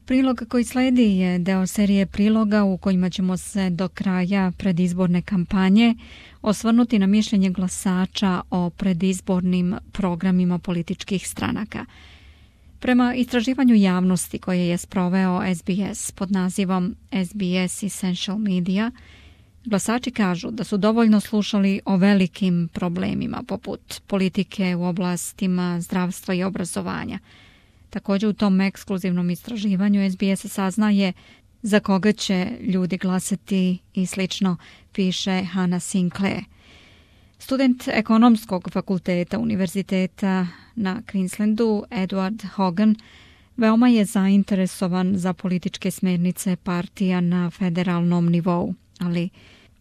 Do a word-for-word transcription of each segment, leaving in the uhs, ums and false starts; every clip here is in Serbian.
Prilog koji sledi je deo serije priloga u kojima ćemo se do kraja predizborne kampanje osvrnuti na mišljenje glasača o predizbornim programima političkih stranaka. Prema istraživanju javnosti koje je sproveo S B S pod nazivom S B S Essential Media, glasači kažu da su dovoljno slušali o velikim problemima poput politike u oblastima zdravstva i obrazovanja. Također u tom ekskluzivnom istraživanju S B S saznaje za koga će ljudi glasati i slično, piše Hannah Sinclair. Student ekonomskog fakulteta univerziteta na Queenslandu, Edward Hogan, veoma je zainteresovan za političke smjernice partija na federalnom nivou, ali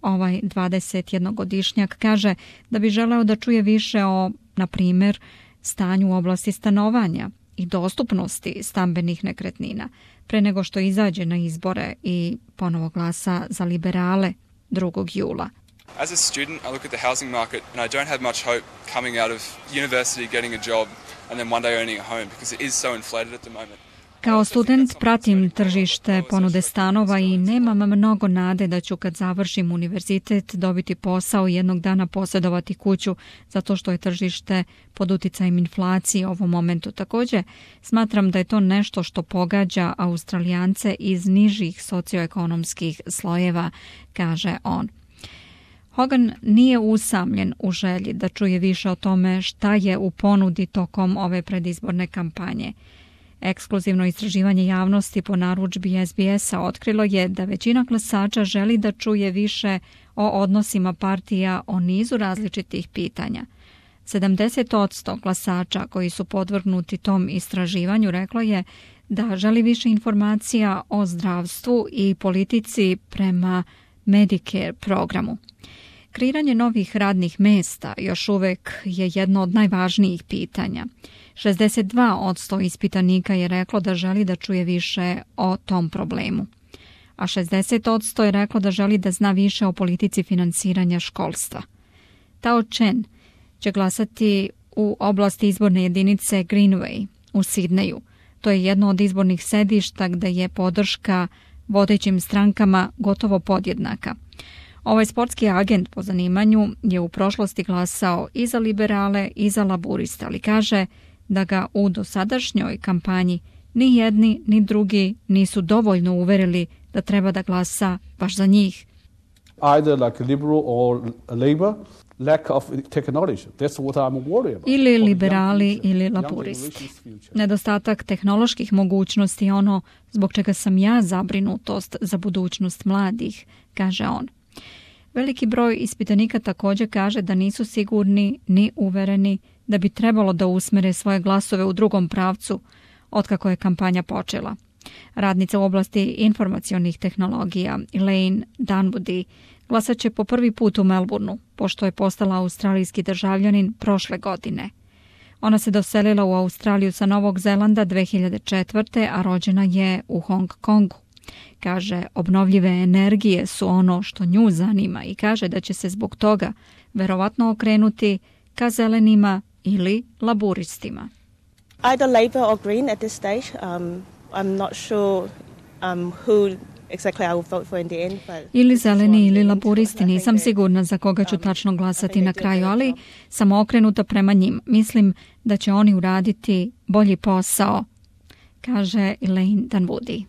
ovaj dvadesetjednogodišnjak kaže da bi želeo da čuje više o, na primjer, stanju u oblasti stanovanja i dostupnosti stambenih nekretnina pre nego što izađe na izbore i ponovo glasa za liberale drugog jula. As a student, I look at the housing market and I don't have much hope coming out of university, getting a job and then one day owning a home because it is so inflated at the moment. Kao student pratim tržište ponude stanova i nemam mnogo nade da ću kad završim univerzitet dobiti posao i jednog dana posjedovati kuću zato što je tržište pod uticajem inflacije u ovom momentu. Također smatram da je to nešto što pogađa Australijance iz nižih socioekonomskih slojeva, kaže on. Hogan nije usamljen u želji da čuje više o tome šta je u ponudi tokom ove predizborne kampanje. Ekskluzivno istraživanje javnosti po narudžbi S B S-a otkrilo je da većina glasača želi da čuje više o odnosima partija o nizu različitih pitanja. sedamdeset posto glasača koji su podvrgnuti tom istraživanju reklo je da želi više informacija o zdravstvu i politici prema Medicare programu. Kreiranje novih radnih mjesta još uvijek je jedno od najvažnijih pitanja. šezdeset dva posto ispitanika je reklo da želi da čuje više o tom problemu, a šezdeset posto je reklo da želi da zna više o politici finansiranja školstva. Tao Chen će glasati u oblasti izborne jedinice Greenway u Sidneju. To je jedno od izbornih sedišta gde je podrška vodećim strankama gotovo podjednaka. Ovaj sportski agent po zanimanju je u prošlosti glasao i za liberale i za laburiste, ali kaže da ga u dosadašnjoj kampanji ni jedni ni drugi nisu dovoljno uverili da treba da glasa baš za njih. Either like liberal or labor, lack of technology. That's what I'm worried about. Ili liberali ili laburisti. Nedostatak tehnoloških mogućnosti je ono zbog čega sam ja zabrinutost za budućnost mladih, kaže on. Veliki broj ispitanika također kaže da nisu sigurni ni uvereni da bi trebalo da usmere svoje glasove u drugom pravcu otkako je kampanja počela. Radnica u oblasti informacionih tehnologija Elaine Dunwoody glasat će po prvi put u Melbourneu, pošto je postala australijski državljanin prošle godine. Ona se doselila u Australiju sa Novog Zelanda dve hiljade četvrte. a rođena je u Hong Kongu. Kaže, obnovljive energije su ono što nju zanima i kaže da će se zbog toga verovatno okrenuti ka zelenima ili laburistima. Either Labor or Green at this stage. Um, I'm not sure um, who exactly I will vote for in the end. But ili zeleni ili laburisti, nisam sigurna za koga ću tačno glasati na kraju, ali sam okrenuta prema njim. Mislim da će oni uraditi bolji posao, kaže Elaine Dunwoody.